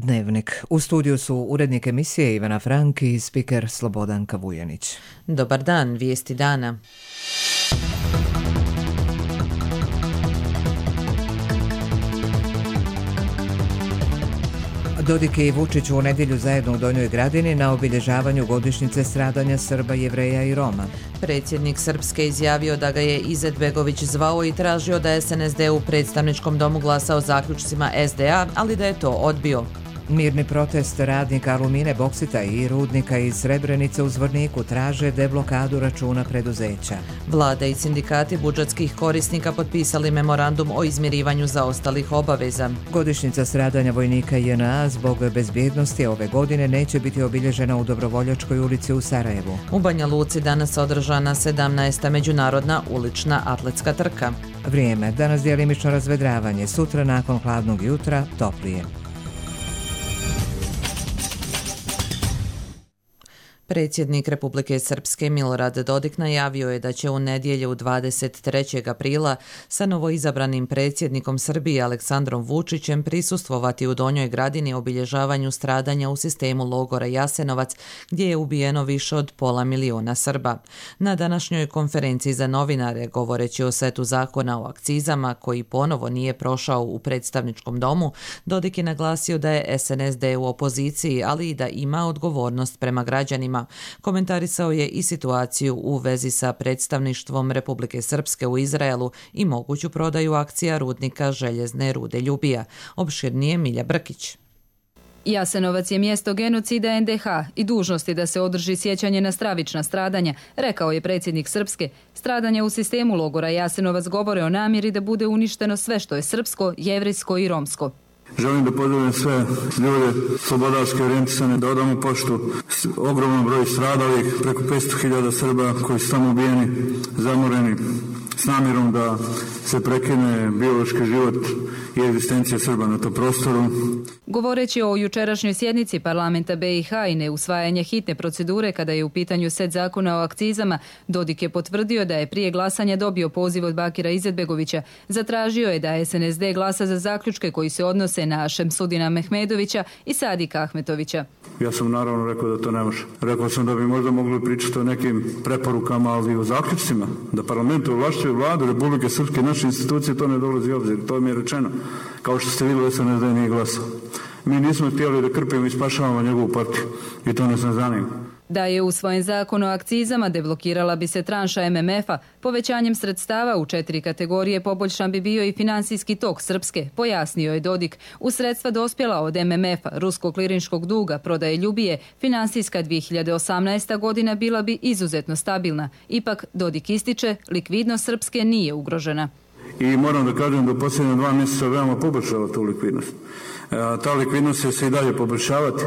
Dnevnik. U studiju su urednik emisije Ivana Frank i spiker Slobodanka Vujanić. Dobar dan, vijesti dana. Dodik i Vučić u nedjelju zajedno u Donjoj Gradini na obilježavanju godišnjice stradanja Srba, Jevreja i Roma. Predsjednik Srpske izjavio da ga je Izetbegović zvao i tražio da SNSD u predstavničkom domu glasa o zaključcima SDA, ali da je to odbio. Mirni protest radnika Alumine, Boksita i rudnika iz Srebrenice u Zvorniku traže deblokadu računa preduzeća. Vlada i sindikati budžetskih korisnika potpisali memorandum o izmirivanju zaostalih obaveza. Godišnjica stradanja vojnika JNA zbog bezbjednosti ove godine neće biti obilježena u Dobrovoljačkoj ulici u Sarajevu. U Banja Luci danas održana 17. međunarodna ulična atletska trka. Vrijeme, danas djelimično razvedravanje, sutra nakon hladnog jutra toplije. Predsjednik Republike Srpske Milorad Dodik najavio je da će u nedjelju 23. aprila sa novoizabranim predsjednikom Srbije Aleksandrom Vučićem prisustvovati u Donjoj Gradini obilježavanju stradanja u sistemu logora Jasenovac, gdje je ubijeno više od 500.000 Srba. Na današnjoj konferenciji za novinare, govoreći o setu zakona o akcizama koji ponovo nije prošao u predstavničkom domu, Dodik je naglasio da je SNSD u opoziciji, ali i da ima odgovornost prema građanima. Komentarisao je i situaciju u vezi sa predstavništvom Republike Srpske u Izraelu i moguću prodaju akcija rudnika željezne rude Ljubija. Opširnije Milja Brkić. Jasenovac je mjesto genocida NDH i dužnost je da se održi sjećanje na stravična stradanja, rekao je predsjednik Srpske. Stradanja u sistemu logora Jasenovac govore o namjeri da bude uništeno sve što je srpsko, jevrejsko i romsko. Želim da pozdravim sve ljude slobodarske orijentisane, da odamo poštu ogromnom broju stradalih, preko 500.000 Srba koji su tamo ubijeni, zamoreni, s namjerom da se prekine biološki život i egzistencija Srba na tom prostoru. Govoreći o jučerašnjoj sjednici parlamenta BiH i neusvajanje hitne procedure kada je u pitanju set zakona o akcizama, Dodik je potvrdio da je prije glasanja dobio poziv od Bakira Izetbegovića. Zatražio je da SNSD glasa za zaključke koji se odnose na Šemsudina Mehmedovića i Sadika Ahmetovića. Ja sam naravno rekao da to ne može. Rekao sam da bi možda mogli pričati o nekim preporukama, ali i o zaključcima, da parlament ovlašćuje vladu Republike Srpske, naše institucije, to ne dolazi u obzir. To mi je rečeno. Kao što ste vidjeli, SNSD nije glasao. Mi nismo htjeli da krpimo i spašavamo njegovu partiju i to nas ne zanima. Da je usvojen zakon o akcizama, deblokirala bi se tranša MMF-a. Povećanjem sredstava u 4 kategorije poboljšan bi bio i finansijski tok Srpske, pojasnio je Dodik. U sredstva dospjela od MMF-a, ruskog klirinškog duga, prodaje Ljubije, finansijska 2018. godina bila bi izuzetno stabilna. Ipak, Dodik ističe, likvidnost Srpske nije ugrožena. I moram da kažem da u posljednje 2 mjeseca veoma poboljšava tu likvidnost. Ta likvidnost će se i dalje poboljšavati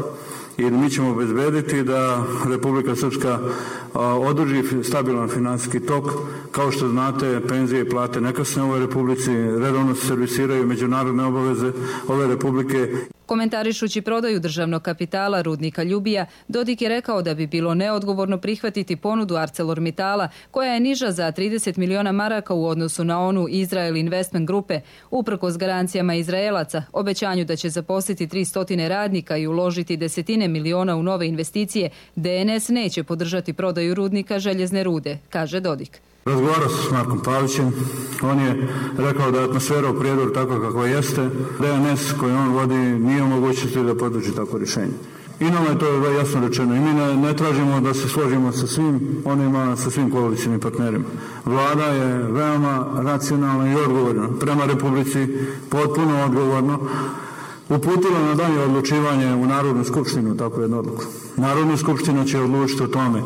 i mi ćemo obezbediti da Republika Srpska održi stabilan financijski tok. Kao što znate, penzije i plate nekasne u ovoj Republici, redovno se servisiraju međunarodne obaveze ove Republike. Komentarišući prodaju državnog kapitala rudnika Ljubija, Dodik je rekao da bi bilo neodgovorno prihvatiti ponudu ArcelorMittala, koja je niža za 30 miliona maraka u odnosu na onu Israel Investment grupe. Uprkos garancijama Izraelaca, obećanju da će zaposliti 300 radnika i uložiti desetine miliona u nove investicije, DNS neće podržati prodaju rudnika željezne rude, kaže Dodik. Razgovarao sam s Markom Pavićem, on je rekao da je atmosfera u Prijedoru takva kakva jeste, DNS koji on vodi nije u mogućnosti da podrži tako rješenje. I nama je to jasno rečeno i mi ne tražimo da se složimo sa svim onima, sa svim koalicijnim partnerima. Vlada je veoma racionalna i odgovorna prema Republici, potpuno odgovorno, uputila na dalje odlučivanje u Narodnu skupštinu takvu jednu odluku. Narodna skupština će odlučiti o tome.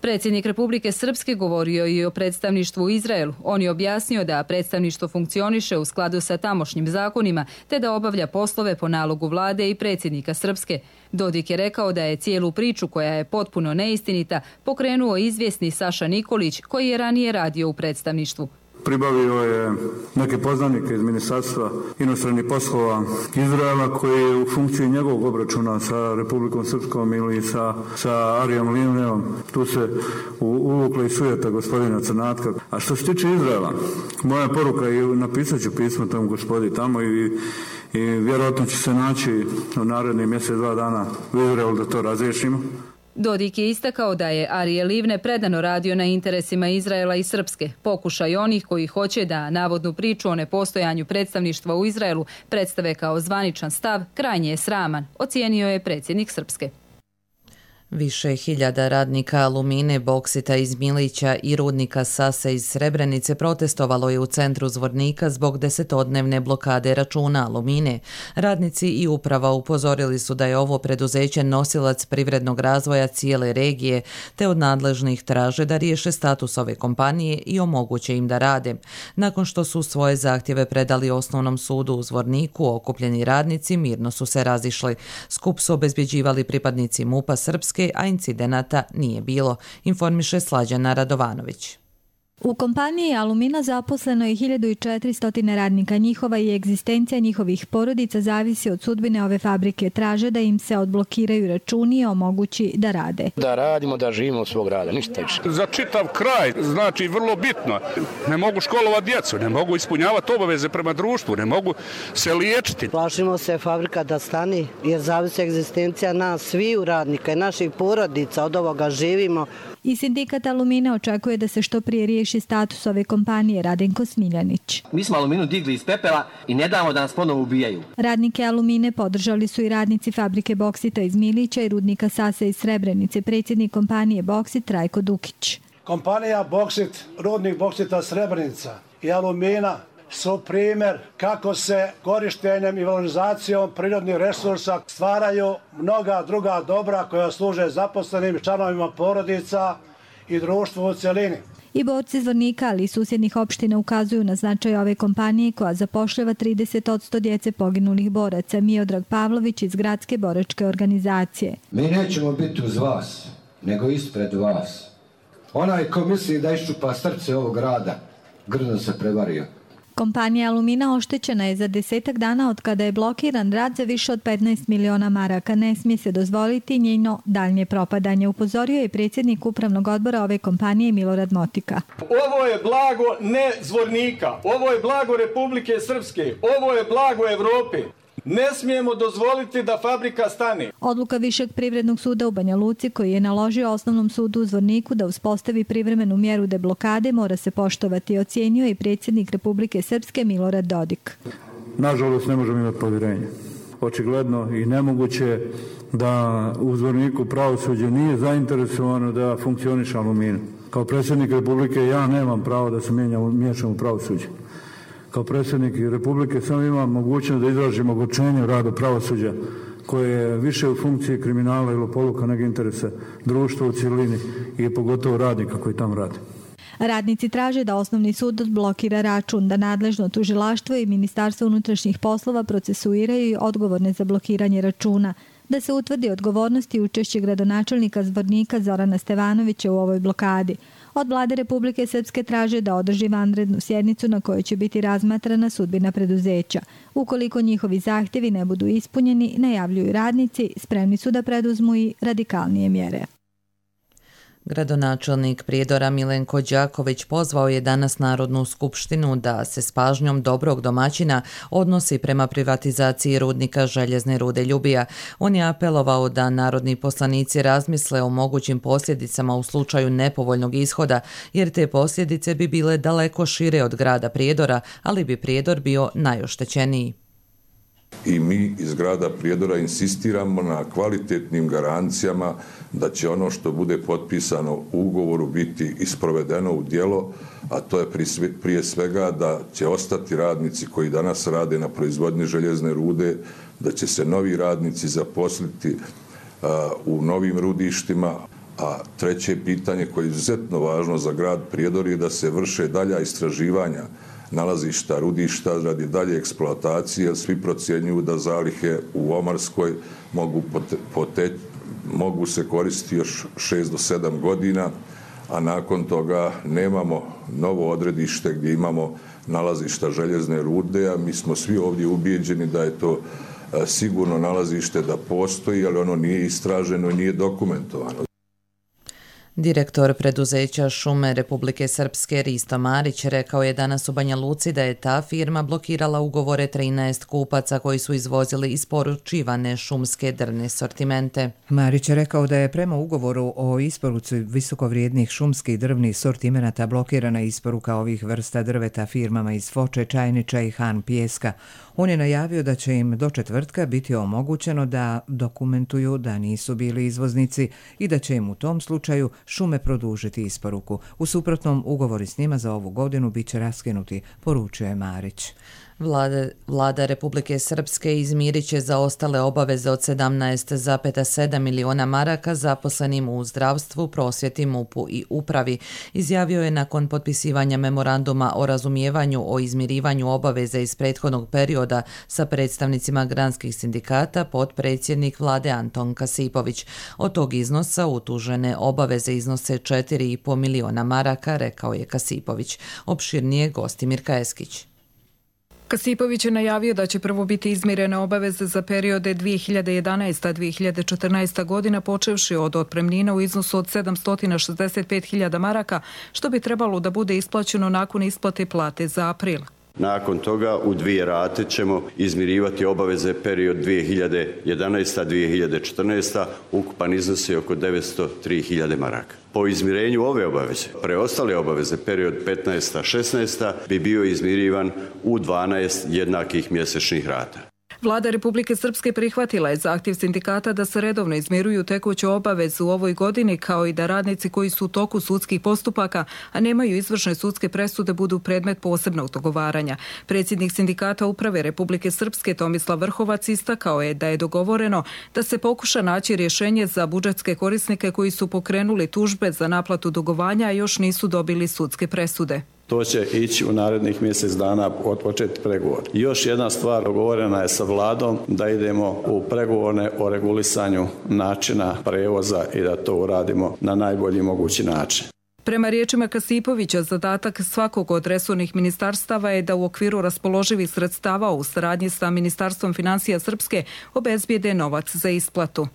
Predsjednik Republike Srpske govorio i o predstavništvu u Izraelu. On je objasnio da predstavništvo funkcioniše u skladu sa tamošnjim zakonima, te da obavlja poslove po nalogu vlade i predsjednika Srpske. Dodik je rekao da je cijelu priču, koja je potpuno neistinita, pokrenuo izvjesni Saša Nikolić, koji je ranije radio u predstavništvu. Pribavio je neke poznanike iz Ministarstva inostranih poslova Izraela koji je u funkciji njegovog obračuna sa Republikom Srpskom ili sa Arijom Linijom. Tu se uvukla i sujeta gospodina Crnatka. A što se tiče Izraela, moja poruka je, napisat ću pismo tom gospodi tamo i i vjerojatno će se naći u narednih mjesec, 2 dana u Izraelu da to razriješimo. Dodik je istakao da je Arije Livne predano radio na interesima Izraela i Srpske. Pokušaj onih koji hoće da navodnu priču o nepostojanju predstavništva u Izraelu predstave kao zvaničan stav krajnje je sraman, ocijenio je predsjednik Srpske. Više hiljada radnika Alumine, Boksita iz Milića i rudnika Sase iz Srebrenice protestovalo je u centru Zvornika zbog 10-dnevne blokade računa Alumine. Radnici i uprava upozorili su da je ovo preduzeće nosilac privrednog razvoja cijele regije, te od nadležnih traže da riješe status ove kompanije i omoguće im da rade. Nakon što su svoje zahtjeve predali Osnovnom sudu u Zvorniku, okupljeni radnici mirno su se razišli. Skup su obezbjeđivali pripadnici MUP-a Srpske, a incidenata nije bilo, informiše Slađana Radovanović. U kompaniji Alumina zaposleno je 1400 radnika. Njihova i egzistencija njihovih porodica zavisi od sudbine ove fabrike. Traže da im se odblokiraju računi i omogući da rade. Da radimo, da živimo od svog rada, ništa više. Za čitav kraj, znači vrlo bitno. Ne mogu školovati djecu, ne mogu ispunjavati obaveze prema društvu, ne mogu se liječiti. Plašimo se fabrika da stani, jer zavisi egzistencija nas, sviju radnika i naših porodica, od ovoga živimo. I sindikat Alumine očekuje da se što prije riješi status ove kompanije. Radenko Smiljanić. Mi smo Aluminu digli iz pepela i ne damo da nas ponovo ubijaju. Radnike Alumine podržali su i radnici fabrike Boksita iz Milića i rudnika Sase iz Srebrenice, predsjednik kompanije Boksit Trajko Dukić. Kompanija Boksit, rudnik Boksita Srebrenica i Alumina su primjer kako se korištenjem i valorizacijom prirodnih resursa stvaraju mnoga druga dobra koja služe zaposlenim članovima porodica i društvu u cjelini. I borci Zvornika, ali i susjednih opština ukazuju na značaj ove kompanije koja zapošljava 30% djece poginulih boraca. Miodrag Pavlović iz Gradske boračke organizacije. Mi nećemo biti uz vas, nego ispred vas. Onaj ko misli da iščupa srce ovog grada, grdno se prevario. Kompanija Alumina oštećena je za 10 dana od kada je blokiran rad za više od 15 miliona maraka. Ne smije se dozvoliti njeno daljnje propadanje, upozorio je predsjednik upravnog odbora ove kompanije Milorad Motika. Ovo je blago ne Zvornika, ovo je blago Republike Srpske, ovo je blago Evrope. Ne smijemo dozvoliti da fabrika stane. Odluka Višeg privrednog suda u Banja Luci, koji je naložio Osnovnom sudu u Zvorniku da uspostavi privremenu mjeru deblokade, mora se poštovati, ocijenio i predsjednik Republike Srpske Milorad Dodik. Nažalost, ne možemo imati povjerenje. Očigledno i nemoguće da u Zvorniku pravosuđe nije zainteresovano da funkcioniše Alumina. Kao predsjednik Republike ja nemam pravo da se miješam u pravosuđe. Kao predsjednik Republike samo imam mogućnost da izražim ogorčenje u radu pravosuđa koje je više u funkciji kriminala i lopovluka nego interesa društva u cjelini i pogotovo radnika koji tamo radi. Radnici traže da Osnovni sud odblokira račun, da nadležno tužilaštvo i Ministarstvo unutrašnjih poslova procesuiraju i odgovorne za blokiranje računa, da se utvrdi odgovornost i učešće gradonačelnika Zvornika Zorana Stevanovića u ovoj blokadi. Od vlade Republike Srpske traže da održi vanrednu sjednicu na kojoj će biti razmatrana sudbina preduzeća. Ukoliko njihovi zahtjevi ne budu ispunjeni, najavljuju radnici, spremni su da preduzmu i radikalnije mjere. Gradonačelnik Prijedora Milenko Đaković pozvao je danas Narodnu skupštinu da se s pažnjom dobrog domaćina odnosi prema privatizaciji rudnika željezne rude Ljubija. On je apelovao da narodni poslanici razmisle o mogućim posljedicama u slučaju nepovoljnog ishoda, jer te posljedice bi bile daleko šire od grada Prijedora, ali bi Prijedor bio najoštećeniji. I mi iz grada Prijedora insistiramo na kvalitetnim garancijama da će ono što bude potpisano u ugovoru biti isprovedeno u djelo, a to je prije svega da će ostati radnici koji danas rade na proizvodnji željezne rude, da će se novi radnici zaposliti u novim rudištima, a treće pitanje koje je izuzetno važno za grad Prijedor je da se vrše dalja istraživanja nalazišta, rudišta radi dalje eksploatacije, jer svi procjenjuju da zalihe u Omarskoj mogu se koristiti još 6 do 7 godina, a nakon toga nemamo novo odredište gdje imamo nalazišta željezne rude, a mi smo svi ovdje ubijeđeni da je to sigurno nalazište da postoji, ali ono nije istraženo i nije dokumentovano. Direktor preduzeća Šume Republike Srpske Risto Marić rekao je danas u Banja Luci da je ta firma blokirala ugovore 13 kupaca koji su izvozili isporučivane šumske drvne sortimente. Marić je rekao da je prema ugovoru o isporuci visokovrijednih šumskih drvnih sortimenata blokirana isporuka ovih vrsta drveta firmama iz Foče, Čajniča i Han Pijeska. On je najavio da će im do četvrtka biti omogućeno da dokumentuju da nisu bili izvoznici i da će im u tom slučaju Šume produžiti isporuku. U suprotnom, ugovori s njima za ovu godinu bit će raskinuti, poručuje Marić. Vlada Republike Srpske izmirit će zaostale obaveze od 17,7 miliona maraka zaposlenim u zdravstvu, prosvjeti, MUP-u i upravi, izjavio je nakon potpisivanja memoranduma o razumijevanju o izmirivanju obaveza iz prethodnog perioda sa predstavnicima granskih sindikata potpredsjednik vlade Anton Kasipović. Od tog iznosa utužene obaveze iznose 4,5 miliona maraka, rekao je Kasipović. Opširnije Gostimir Kajeskić. Kasipović je najavio da će prvo biti izmirene obaveze za periode 2011-2014 godina, počevši od otpremnina u iznosu od 765.000 maraka, što bi trebalo da bude isplaćeno nakon isplate plate za april. Nakon toga u 2 rate ćemo izmirivati obaveze period 2011-2014, ukupan iznos je oko 903.000 maraka. Po izmirenju ove obaveze, preostale obaveze period 15-16 bi bio izmirivan u 12 jednakih mjesečnih rata. Vlada Republike Srpske prihvatila je zahtjev sindikata da se redovno izmiruju tekuće obaveze u ovoj godini, kao i da radnici koji su u toku sudskih postupaka, a nemaju izvršne sudske presude, budu predmet posebnog dogovaranja. Predsjednik sindikata uprave Republike Srpske Tomislav Vrhovac istakao je da je dogovoreno da se pokuša naći rješenje za budžetske korisnike koji su pokrenuli tužbe za naplatu dugovanja, a još nisu dobili sudske presude. To će ići u narednih mjesec dana od početka pregovora. Još jedna stvar dogovorena je sa vladom da idemo u pregovore o regulisanju načina prevoza i da to uradimo na najbolji mogući način. Prema riječima Kasipovića, zadatak svakog od resornih ministarstava je da u okviru raspoloživih sredstava u saradnji sa Ministarstvom financija Srpske obezbijede novac za isplatu.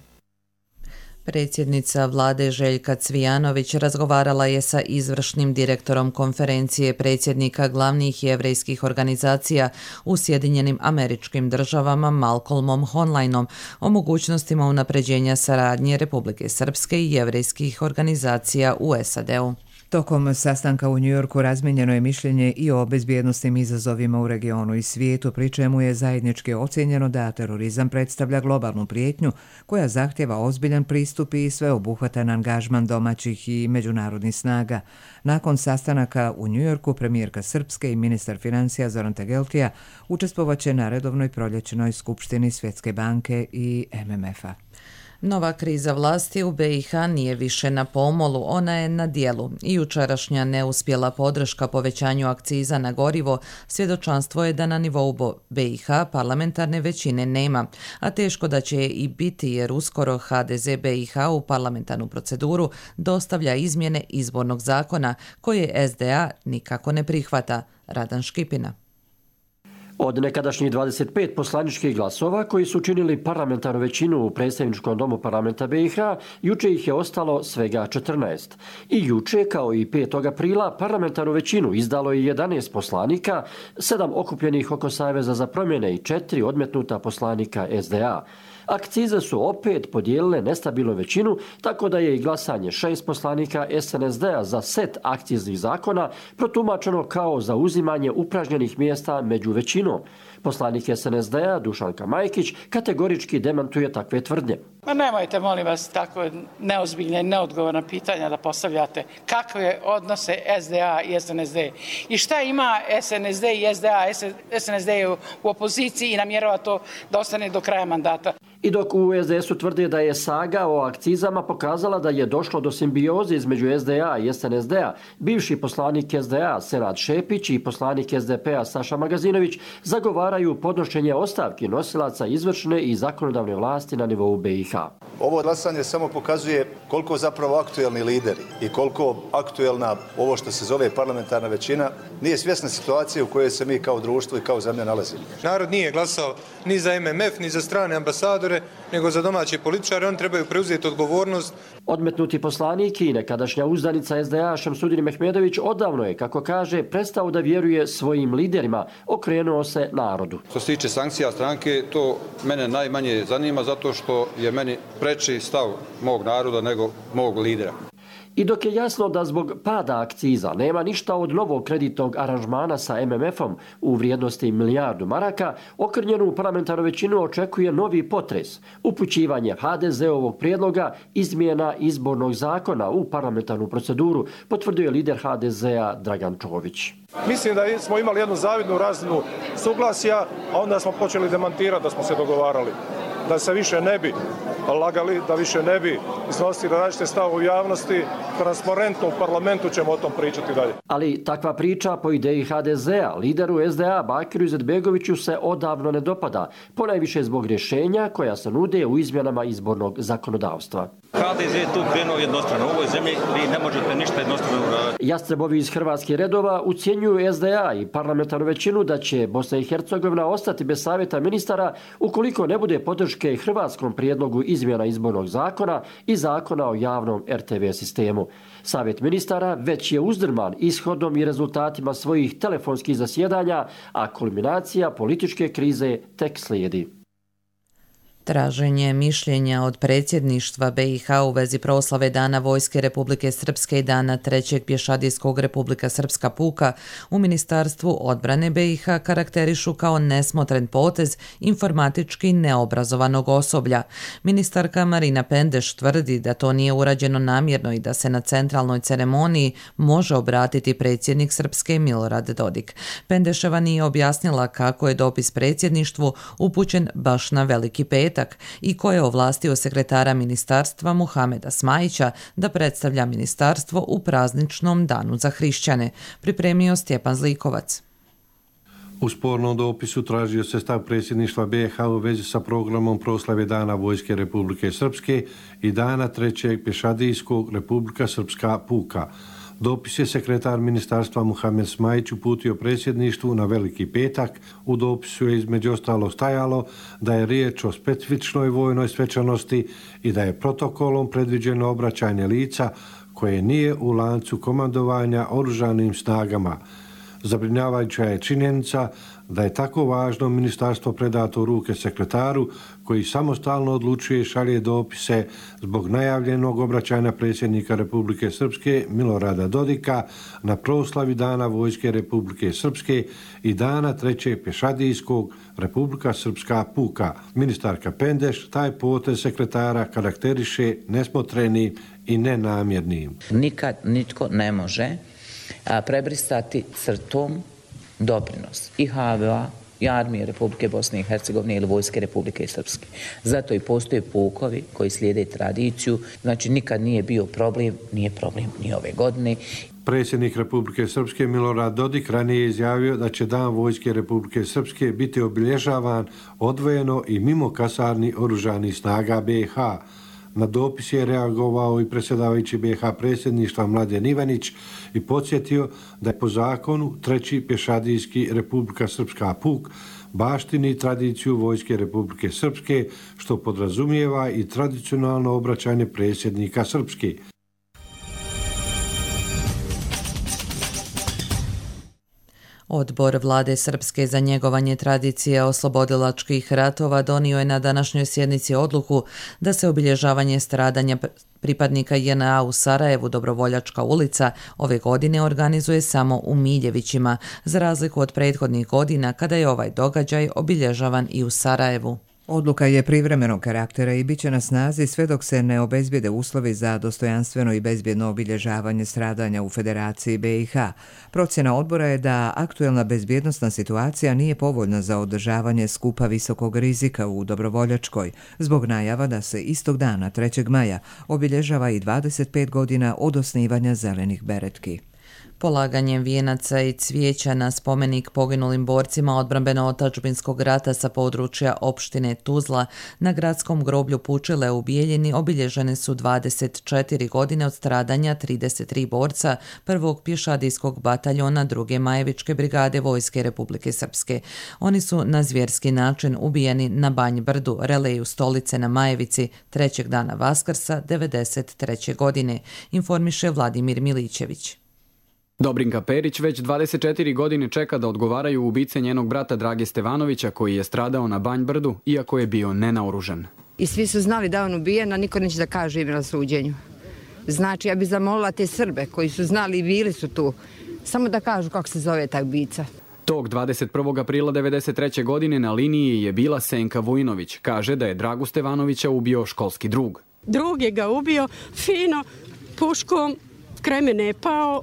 Predsjednica vlade Željka Cvijanović razgovarala je sa izvršnim direktorom konferencije predsjednika glavnih jevrejskih organizacija u Sjedinjenim Američkim Državama Malcolmom Honlajnom o mogućnostima unapređenja saradnje Republike Srpske i jevrejskih organizacija u SAD-u. Tokom sastanka u Njujorku razmijenjeno je mišljenje i o bezbjednosnim izazovima u regionu i svijetu, pri čemu je zajednički ocjenjeno da terorizam predstavlja globalnu prijetnju koja zahtjeva ozbiljan pristup i sveobuhvatan angažman domaćih i međunarodnih snaga. Nakon sastanaka u Njujorku, premijerka Srpske i ministar financija Zoran Tegeltija učestvovaće na redovnoj proljećnoj skupštini Svjetske banke i MMF-a. Nova kriza vlasti u BiH nije više na pomolu, ona je na dijelu. I jučerašnja neuspjela podrška povećanju akciza na gorivo svjedočanstvo je da na nivou BiH parlamentarne većine nema, a teško da će i biti jer uskoro HDZ BiH u parlamentarnu proceduru dostavlja izmjene izbornog zakona koje SDA nikako ne prihvata. Radan Škipina. Od nekadašnjih 25 poslaničkih glasova koji su činili parlamentarnu većinu u predstavničkom domu parlamenta BiH, juče ih je ostalo svega 14. I juče, kao i 5. aprila, parlamentarnu većinu izdalo je 11 poslanika, 7 okupljenih oko Saveza za promjene i 4 odmetnuta poslanika SDA. Akcize su opet podijelile nestabilnu većinu, tako da je i glasanje 6 poslanika SNSD-a za set akciznih zakona protumačeno kao zauzimanje upražnjenih mjesta među većinom. Poslanik SNSD-a Dušanka Majkić kategorički demantuje takve tvrdnje. Ma nemojte, molim vas, tako neozbiljne i neodgovorna pitanja da postavljate. Kakve odnose SDA i SNSD? I šta ima SNSD i SDA? SNSD je u opoziciji i namjerava to da ostane do kraja mandata. I dok u SDS-u tvrde da je saga o akcizama pokazala da je došlo do simbioze između SDA i SNSD-a, bivši poslanik SDA Senad Šepić i poslanik SDP-a Saša Magazinović zagovaraju podnošenje ostavki nosilaca izvršne i zakonodavne vlasti na nivou BiH. Ovo glasanje samo pokazuje koliko zapravo aktuelni lideri i koliko aktuelna ovo što se zove parlamentarna većina nije svjesna situacije u kojoj se mi kao društvo i kao zemlja nalazimo. Narod nije glasao ni za MMF, ni za strane ambasadore, nego za domaće političare. Oni trebaju preuzeti odgovornost. Odmetnuti poslanik i nekadašnja uzdanica SDA Šamsudin Mehmedović odavno je, kako kaže, prestao da vjeruje svojim liderima, okrenuo se narodu. Što se tiče sankcija stranke, to mene najmanje zanima zato što je meni preči stav mog naroda nego mog lidera. I dok je jasno da zbog pada akciza nema ništa od novog kreditnog aranžmana sa MMF-om u vrijednosti milijardu maraka, okrnjenu parlamentarnu većinu očekuje novi potres, upućivanje HDZ-ovog prijedloga izmjena izbornog zakona u parlamentarnu proceduru, potvrdio je lider HDZ-a Dragan Čović. Mislim da smo imali jednu zavidnu razinu suglasja, a onda smo počeli demantirati da smo se dogovarali. Da se više ne bi lagali, da više ne bi iznosili različite stavove u javnosti, transparentno u parlamentu ćemo o tom pričati dalje. Ali takva priča po ideji HDZ-a, lideru SDA Bakiru Izetbegoviću se odavno ne dopada, ponajviše zbog rješenja koja se nude u izmjenama izbornog zakonodavstva. HDZ je tu krenuo jednostrano. U ovoj zemlji vi ne možete ništa jednostrano uraditi. Jastrebovi iz hrvatskih redova ucjenjuju SDA i parlamentarnu većinu da će Bosna i Hercegovina ostati bez savjeta ministara ukoliko ne bude podrške hrvatskom prijedlogu izmjena izbornog zakona i zakona o javnom RTV sistemu. Savjet ministara već je uzdrman ishodom i rezultatima svojih telefonskih zasjedanja, a kulminacija političke krize tek slijedi. Traženje mišljenja od predsjedništva BiH u vezi proslave Dana Vojske Republike Srpske i Dana 3. pješadijskog Republika Srpska puka u Ministarstvu odbrane BiH karakterišu kao nesmotren potez informatički neobrazovanog osoblja. Ministarka Marina Pendeš tvrdi da to nije urađeno namjerno i da se na centralnoj ceremoniji može obratiti predsjednik Srpske Milorad Dodik. Pendeševa nije objasnila kako je dopis predsjedništvu upućen baš na Veliki petak i ko je ovlastio sekretara ministarstva Muhameda Smajića da predstavlja ministarstvo u prazničnom danu za hrišćane, pripremio Stjepan Zlikovac. U spornom dopisu tražio se stav predsjedništva BiH u vezi sa programom proslave Dana Vojske Republike Srpske i Dana 3. pješadijskog Republika Srpska puka. Dopis je sekretar ministarstva Muhamed Smajić uputio predsjedništvu na Veliki petak. U dopisu je između ostalog stajalo da je riječ o specifičnoj vojnoj svečanosti i da je protokolom predviđeno obraćanje lica koje nije u lancu komandovanja oružanim snagama. Zabrinjavajuća je činjenica da je tako važno ministarstvo predato u ruke sekretaru koji samostalno odlučuje i šalje dopise zbog najavljenog obraćanja predsjednika Republike Srpske Milorada Dodika na proslavi Dana Vojske Republike Srpske i Dana 3. pješadijskog Republika Srpska puka. Ministarka Pendeš taj potez sekretara karakteriše nesmotrenim i nenamjernim. Nikad nitko ne može prebrisati crtom doprinos i HVO i armije Republike Bosne i Hercegovine ili Vojske Republike Srpske. Zato i postoje pukovi koji slijede tradiciju, znači nikad nije bio problem, nije problem ni ove godine. Predsjednik Republike Srpske Milorad Dodik ranije je izjavio da će Dan Vojske Republike Srpske biti obilježavan odvojeno i mimo kasarni oružanih snaga BiH. Na dopis je reagovao i predsjedavajući BiH predsjedništva Mladen Ivanić i podsjetio da je po zakonu 3. pješadijski Republika Srpska puk baštini tradiciju Vojske Republike Srpske, što podrazumijeva i tradicionalno obraćanje predsjednika Srpske. Odbor Vlade Srpske za njegovanje tradicije oslobodilačkih ratova donio je na današnjoj sjednici odluku da se obilježavanje stradanja pripadnika JNA u Sarajevu Dobrovoljačka ulica ove godine organizuje samo u Miljevićima, za razliku od prethodnih godina kada je ovaj događaj obilježavan i u Sarajevu. Odluka je privremenog karaktera i bit će na snazi sve dok se ne obezbijede uslovi za dostojanstveno i bezbjedno obilježavanje stradanja u Federaciji BiH. Procjena odbora je da aktuelna bezbjednosna situacija nije povoljna za održavanje skupa visokog rizika u Dobrovoljačkoj, zbog najava da se istog dana 3. maja obilježava i 25 godina od osnivanja Zelenih beretki. Polaganjem vijenaca i cvijeća na spomenik poginulim borcima odbrambeno-otačbinskog rata sa područja opštine Tuzla na gradskom groblju Pučile u Bijeljini obilježene su 24 godine od stradanja 33 borca prvog pješadijskog bataljona 2. Majevičke brigade Vojske Republike Srpske. Oni su na zvjerski način ubijeni na Banj Brdu, Releju Stolice na Majevici, 3. dana Vaskrsa 1993. godine, informiše Vladimir Milićević. Dobrinka Perić već 24 godine čeka da odgovaraju ubice njenog brata Drage Stevanovića koji je stradao na Banj Brdu, iako je bio nenaoružan. I svi su znali da on ubijen, a niko neće da kaže ime na suđenju. Znači, ja bih zamolila te Srbe koji su znali i bili su tu, samo da kažu kako se zove taj ubica. Tog 21. aprila 1993. godine na liniji je bila Senka Vujnović. Kaže da je Dragu Stevanovića ubio školski drug. Drug je ga ubio fino, puškom, kraj mene je pao.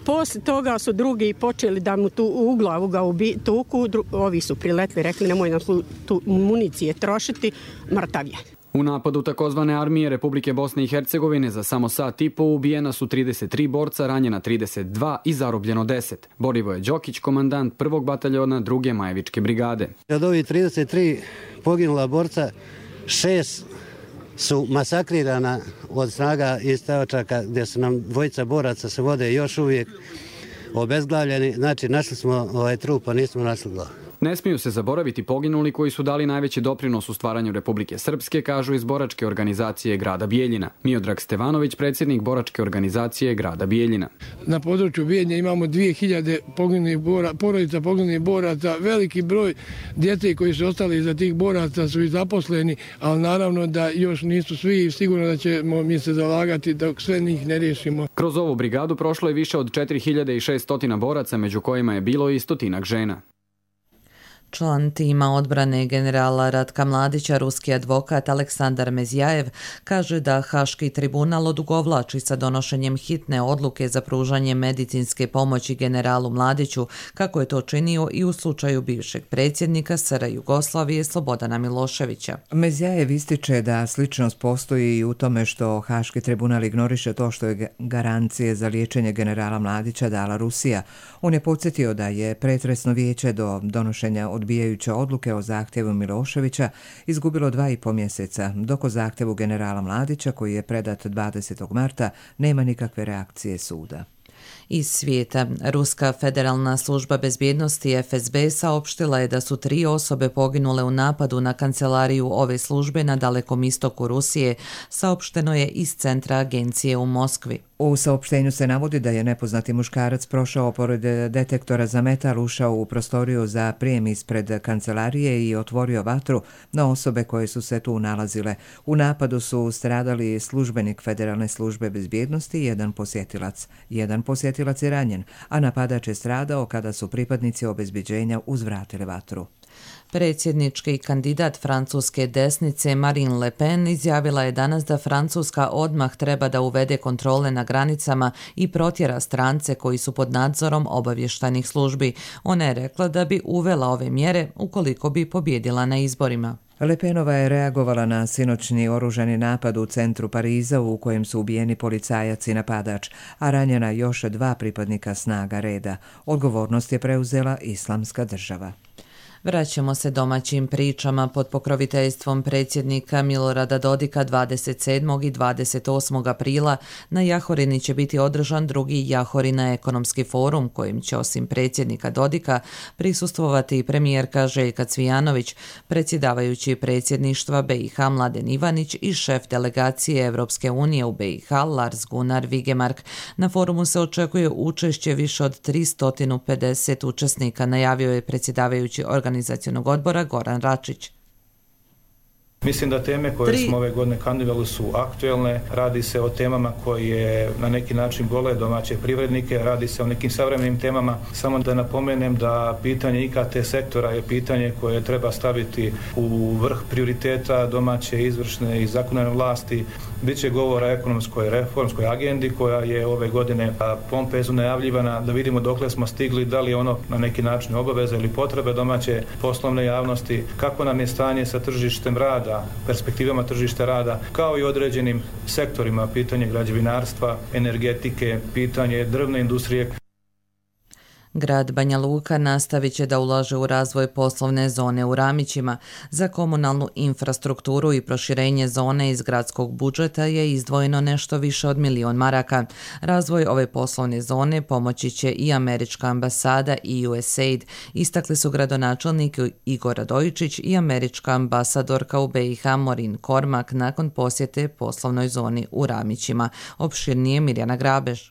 Poslije toga su drugi počeli da mu u glavu ga tuku, ovi su priletli, rekli nemoj nam tu municije trošiti, mrtav je. U napadu takozvane armije Republike Bosne i Hercegovine za samo sat i po ubijena su 33 borca, ranjena 32 i zarobljeno 10. Borivoje Đokić, komandant 1. bataljona 2. Majevičke brigade. Od ovih 33 poginula borca, 6 su masakrirana od snaga iz Teočaka, gdje su nam dvojica boraca se vode još uvijek obezglavljeni. Znači, našli smo trup, a nismo našli glavu. Ne smiju se zaboraviti poginuli koji su dali najveći doprinos u stvaranju Republike Srpske, kažu iz boračke organizacije grada Bijeljina. Miodrag Stevanović, predsjednik boračke organizacije grada Bijeljina. Na području Bijeljine imamo 2000 porodica poginulih boraca, veliki broj djece koji su ostali iza tih boraca su i zaposleni, ali naravno da još nisu svi i sigurno da ćemo mi se zalagati dok sve njih ne riješimo. Kroz ovu brigadu prošlo je više od 4600 boraca, među kojima je bilo i 100 žena. Član tima odbrane generala Ratka Mladića, ruski advokat Aleksandar Mezjajev, kaže da Haški tribunal odugovlači sa donošenjem hitne odluke za pružanje medicinske pomoći generalu Mladiću, kako je to činio i u slučaju bivšeg predsjednika SR Jugoslavije Slobodana Miloševića. Mezjajev ističe da sličnost postoji i u tome što Haški tribunal ignoriše to što je garancije za liječenje generala Mladića dala Rusija. On je podsjetio da je pretresno vijeće do donošenja odbijajuće odluke o zahtjevu Miloševića izgubilo 2,5 mjeseca, dok o zahtjevu generala Mladića, koji je predat 20. marta, nema nikakve reakcije suda. Iz svijeta, Ruska federalna služba bezbjednosti FSB saopštila je da su 3 osobe poginule u napadu na kancelariju ove službe na dalekom istoku Rusije, saopšteno je iz centra agencije u Moskvi. U saopštenju se navodi da je nepoznati muškarac prošao pored detektora za metal, ušao u prostoriju za prijem ispred kancelarije i otvorio vatru na osobe koje su se tu nalazile. U napadu su stradali službenik Federalne službe bezbjednosti i jedan posjetilac. Jedan posjetilac je ranjen, a napadač je stradao kada su pripadnici obezbeđenja uzvratili vatru. Predsjednički kandidat francuske desnice Marine Le Pen izjavila je danas da Francuska odmah treba da uvede kontrole na granicama i protjera strance koji su pod nadzorom obavještajnih službi. Ona je rekla da bi uvela ove mjere ukoliko bi pobjedila na izborima. Le Penova je reagovala na sinoćni oružani napad u centru Pariza u kojem su ubijeni policajac i napadač, a ranjena još 2 pripadnika snaga reda. Odgovornost je preuzela Islamska država. Vraćamo se domaćim pričama. Pod pokroviteljstvom predsjednika Milorada Dodika 27. i 28. aprila na Jahorini će biti održan 2. Jahorina ekonomski forum, kojim će osim predsjednika Dodika prisustvovati i premijerka Željka Cvijanović, predsjedavajući predsjedništva BiH Mladen Ivanić i šef delegacije Evropske unije u BiH Lars Gunnar Vigemark. Na forumu se očekuje učešće više od 350 učesnika, najavio je predsjedavajući organizacionog odbora Goran Račić. Mislim da teme koje smo ove godine kandidirali su aktuelne, radi se o temama koje na neki način bole domaće privrednike, radi se o nekim savremenim temama. Samo da napomenem da pitanje IKT sektora je pitanje koje treba staviti u vrh prioriteta domaće izvršne i zakonodavne vlasti. Biće govora o ekonomskoj reformskoj agendi koja je ove godine pompezno najavljivana, da vidimo dokle smo stigli, da li je ono na neki način obaveza ili potrebe domaće poslovne javnosti, kako nam je stanje sa tržištem rada, sa perspektivama tržišta rada, kao i određenim sektorima, pitanje građevinarstva, energetike, pitanje drvne industrije. Grad Banja Luka nastavit će da ulaže u razvoj poslovne zone u Ramićima. Za komunalnu infrastrukturu i proširenje zone iz gradskog budžeta je izdvojeno nešto više od 1 milion maraka. Razvoj ove poslovne zone pomoći će i američka ambasada i USAID, istakli su gradonačelnik Igor Radojičić i američka ambasadorka u BiH Morin Kormak nakon posjete poslovnoj zoni u Ramićima. Opširnije Mirjana Grabež.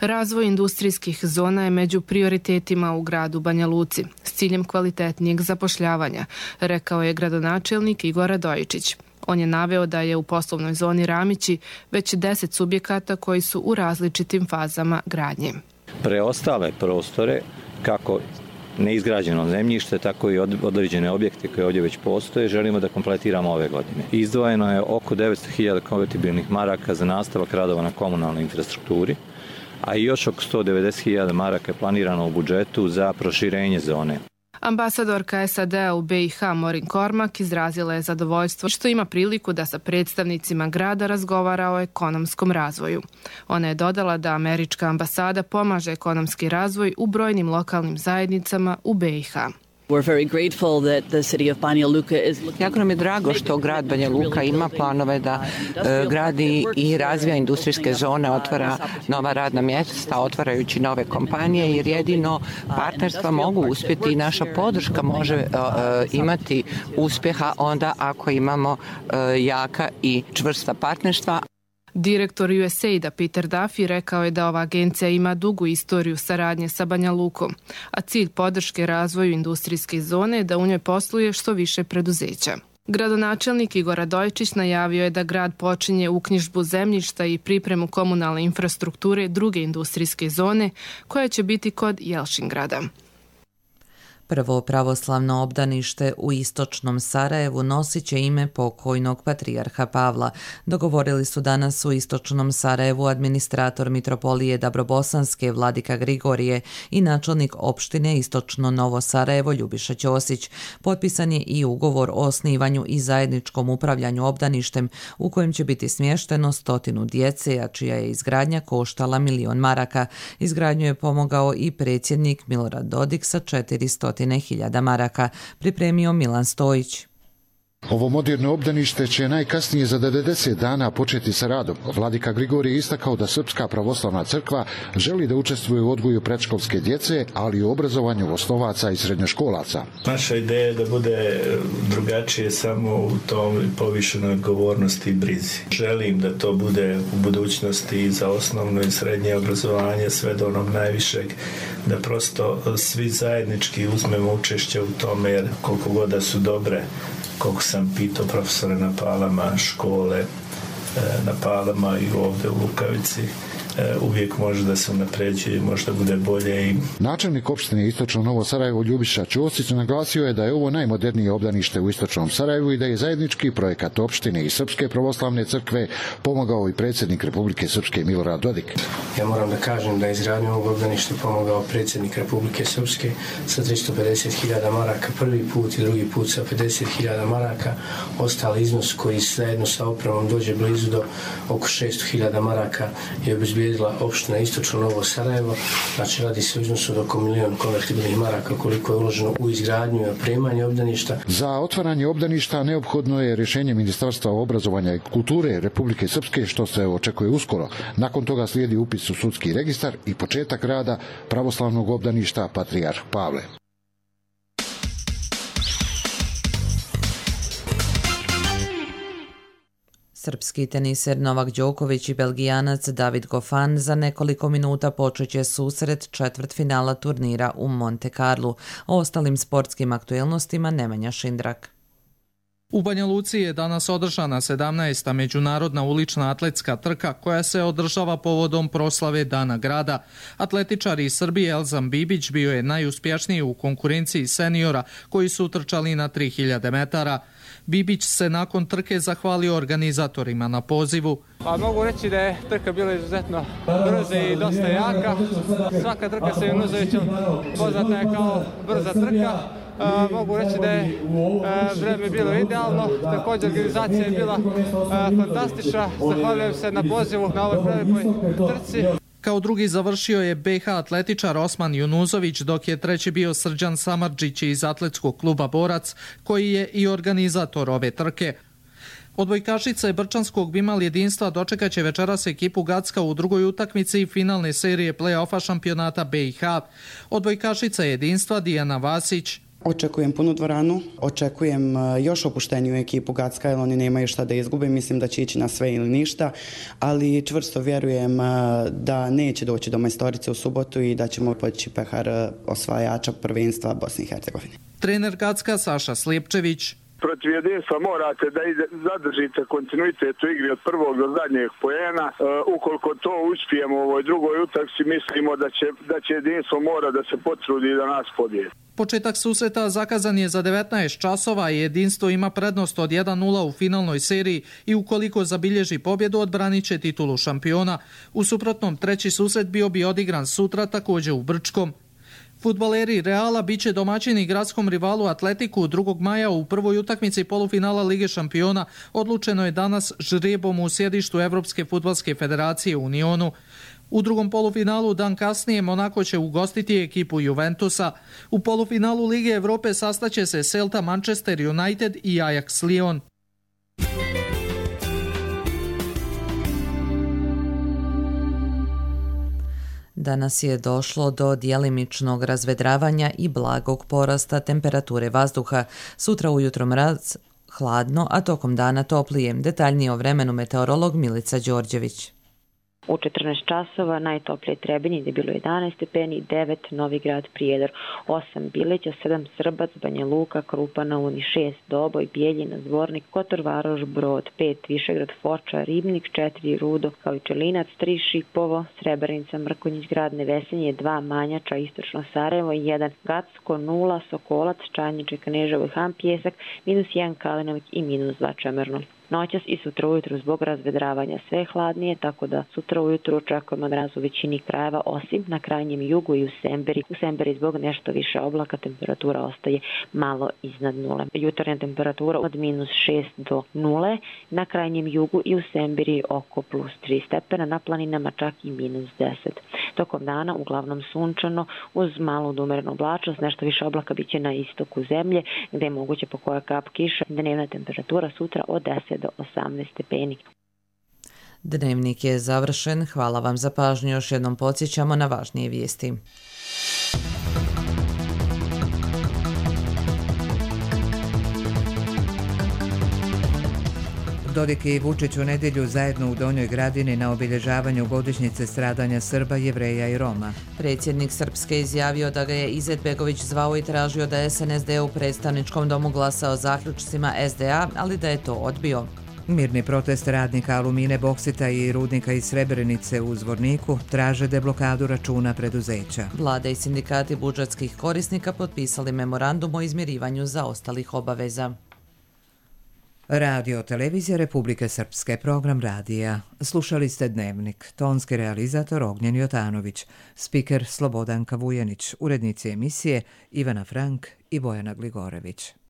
Razvoj industrijskih zona je među prioritetima u gradu Banja Luci s ciljem kvalitetnijeg zapošljavanja, rekao je gradonačelnik Igor Radojičić. On je naveo da je u poslovnoj zoni Ramići već 10 subjekata koji su u različitim fazama gradnje. Preostale prostore, kako neizgrađeno zemljište, tako i određene objekte koje ovdje već postoje, želimo da kompletiramo ove godine. Izdvojeno je oko 900.000 konvertibilnih maraka za nastavak radova na komunalnoj infrastrukturi, a i još oko 190.000 maraka je planirano u budžetu za proširenje zone. Ambasadorka SAD-a u BiH Morin Kormak izrazila je zadovoljstvo što ima priliku da sa predstavnicima grada razgovara o ekonomskom razvoju. Ona je dodala da američka ambasada pomaže ekonomski razvoj u brojnim lokalnim zajednicama u BiH. Jako nam je drago što grad Banja Luka ima planove da gradi i razvija industrijske zone, otvara nova radna mjesta, otvarajući nove kompanije, jer jedino partnerstva mogu uspjeti i naša podrška može imati uspjeha onda ako imamo jaka i čvrsta partnerstva. Direktor USAID-a Peter Duffy rekao je da ova agencija ima dugu istoriju saradnje sa Banja Lukom, a cilj podrške razvoju industrijske zone je da u njoj posluje što više preduzeća. Gradonačelnik Igor Radojičić najavio je da grad počinje uknjižbu zemljišta i pripremu komunalne infrastrukture druge industrijske zone koja će biti kod Jelšingrada. Prvo pravoslavno obdanište u istočnom Sarajevu nosit će ime pokojnog patrijarha Pavla. Dogovorili su danas u istočnom Sarajevu administrator mitropolije Dabrobosanske Vladika Grigorije i načelnik opštine Istočno Novo Sarajevo Ljubiša Ćosić. Potpisan je i ugovor o osnivanju i zajedničkom upravljanju obdaništem u kojem će biti smješteno 100 djece, a čija je izgradnja koštala 1 milion maraka. Izgradnju je pomogao i predsjednik Milorad Dodik sa 400.000 maraka, pripremio Milan Stojić. Ovo moderno obdanište će najkasnije za 90 dana početi sa radom. Vladika Grigorije istakao da Srpska pravoslavna crkva želi da učestvuje u odgoju predškolske djece, ali i u obrazovanju osnovaca i srednjoškolaca. Naša ideja je da bude drugačije samo u tom povišenoj odgovornosti i brizi. Želim da to bude u budućnosti i za osnovno i srednje obrazovanje, sve do onog najvišeg, da prosto svi zajednički uzmemo učešće u tome, jer koliko god da su dobre, koliko sam pitao profesore na Palama, škole na Palama i ovdje u Lukavici, uvijek može da se unapređuje, možda bude bolje. Načelnik opštine Istočno Novo Sarajevo Ljubiša Ćosić naglasio je da je ovo najmodernije obdanište u Istočnom Sarajevu i da je zajednički projekat opštine i Srpske pravoslavne crkve pomogao i predsjednik Republike Srpske Milorad Dodik. Ja moram da kažem da je izgradnju ovog obdaništa pomogao predsjednik Republike Srpske sa 350.000 maraka prvi put i drugi put sa 50.000 maraka. Ostali iznos koji zajedno sa opremom dođe blizu do oko 600.000 maraka je obezbijedila opština Istočno Novo Sarajevo. Znači radi se o iznosu od oko 1 milion konvertibilnih maraka koliko je uloženo u izgradnju i opremanje obdaništa. Za otvaranje obdaništa neophodno je rješenje Ministarstva obrazovanja i kulture Republike Srpske, što se očekuje uskoro. Nakon toga slijedi upis u sudski registar i početak rada pravoslavnog obdaništa Patrijarh Pavle. Srpski teniser Novak Đoković i Belgijanac David Goffin za nekoliko minuta počeće susret četvrtfinala turnira u Monte Carlu. O ostalim sportskim aktuelnostima Nemanja Šindrak. U Banja Luci je danas održana 17. međunarodna ulična atletska trka koja se održava povodom proslave Dana grada. Atletičar iz Srbije Elzam Bibić bio je najuspješniji u konkurenciji seniora koji su trčali na 3000 metara. Bibić se nakon trke zahvalio organizatorima na pozivu. Pa mogu reći da je trka bila izuzetno brza i dosta jaka. Svaka trka sa Junuzovićem poznata je kao brza trka. Mogu reći da je vreme bilo idealno, također organizacija je bila fantastična. Zahvaljujem se na pozivu na ovoj prelepoj trci. Kao drugi završio je BiH atletičar Osman Junuzović, dok je treći bio Srđan Samardžić iz atletskog kluba Borac, koji je i organizator ove trke. Odbojkašice Brčanskog Bimal jedinstva dočekaće večeras ekipu Gacka u drugoj utakmici finalne serije play-offa šampionata BiH. Odbojkašica jedinstva Dijana Vasić. Očekujem punu dvoranu, očekujem još opušteniju ekipu Gacka, jer oni nemaju šta da izgube, mislim da će ići na sve ili ništa, ali čvrsto vjerujem da neće doći do majstorice u subotu i da ćemo podići pehar osvajača prvenstva Bosne i Hercegovine. Trener Gacka Saša Slijepčević. Protiv jedinstva morate da zadržite kontinuitet u igri od prvog do zadnjeg poena. Ukoliko to uspijemo u ovoj drugoj utakmici, mislimo da će jedinstvo mora da se potrudi da nas pobijedi. Početak susreta zakazan je za 19 časova i jedinstvo ima prednost od 1-0 u finalnoj seriji i ukoliko zabilježi pobjedu odbranit će titulu šampiona. U suprotnom, treći susret bio bi odigran sutra također u Brčkom. Fudbaleri Reala biće domaćini gradskom rivalu Atletiku 2. maja u prvoj utakmici polufinala Lige šampiona. Odlučeno je danas žrebom u sjedištu Evropske fudbalske federacije u Unionu. U drugom polufinalu dan kasnije Monako će ugostiti ekipu Juventusa. U polufinalu Lige Evrope sastaće se Celta Manchester United i Ajax Lyon. Danas je došlo do djelimičnog razvedravanja i blagog porasta temperature vazduha. Sutra ujutro mraz, hladno, a tokom dana toplije. Detaljnije o vremenu meteorolog Milica Đorđević. U 14 časova najtoplije Trebinje gdje je bilo 11 stepeni, 9 Novi Grad Prijedor, 8 Bileća, 7 Srbac, Banja Luka, Krupa na Uni, 6 Doboj, Bijeljina, Zvornik, Kotor Varoš, Brod, 5 Višegrad, Foča, Ribnik, 4 Rudo, kao i Čelinac, 3 Šipovo, Srebrenica, Mrkonjić, Grad Nevesinje, 2 Manjača, Istočno Sarajevo, 1 Gacko, 0 Sokolac, Čanjiče, Kneževo i Han Pjesak, -1 Kalinovik i -2 Čemerno. Noćas i sutra ujutru zbog razvedravanja sve hladnije, tako da sutra ujutru očekujemo mraz u većini krajeva, osim na krajnjem jugu i u Semberi. U Semberi zbog nešto više oblaka temperatura ostaje malo iznad nule. Jutarnja temperatura od -6 do 0, na krajnjem jugu i u Semberi oko +3 stepena, na planinama čak i -10. Tokom dana uglavnom sunčano uz malu odumerenu oblačnost, nešto više oblaka biće na istoku zemlje gdje je moguće po koja kap kiša. Dnevna temperatura sutra od 10 do 18 stepeni. Dnevnik je završen. Hvala vam za pažnju. Još jednom podsjećamo na važnije vijesti. Dodik i Vučić u nedjelju zajedno u Donjoj Gradini na obilježavanju godišnjice stradanja Srba, Jevreja i Roma. Predsjednik Srpske izjavio da ga je Izetbegović zvao i tražio da SNSD u predstavničkom domu glasa o zaključcima SDA, ali da je to odbio. Mirni protest radnika Alumine, Boksita i rudnika iz Srebrenice u Zvorniku traže deblokadu računa preduzeća. Vlada i sindikati budžetskih korisnika potpisali memorandum o izmirivanju zaostalih obaveza. Radio Televizija Republike Srpske, program radija. Slušali ste Dnevnik, tonski realizator Ognjen Jotanović, spiker Slobodanka Vujanić, urednici emisije Ivana Frank i Bojana Gligorević.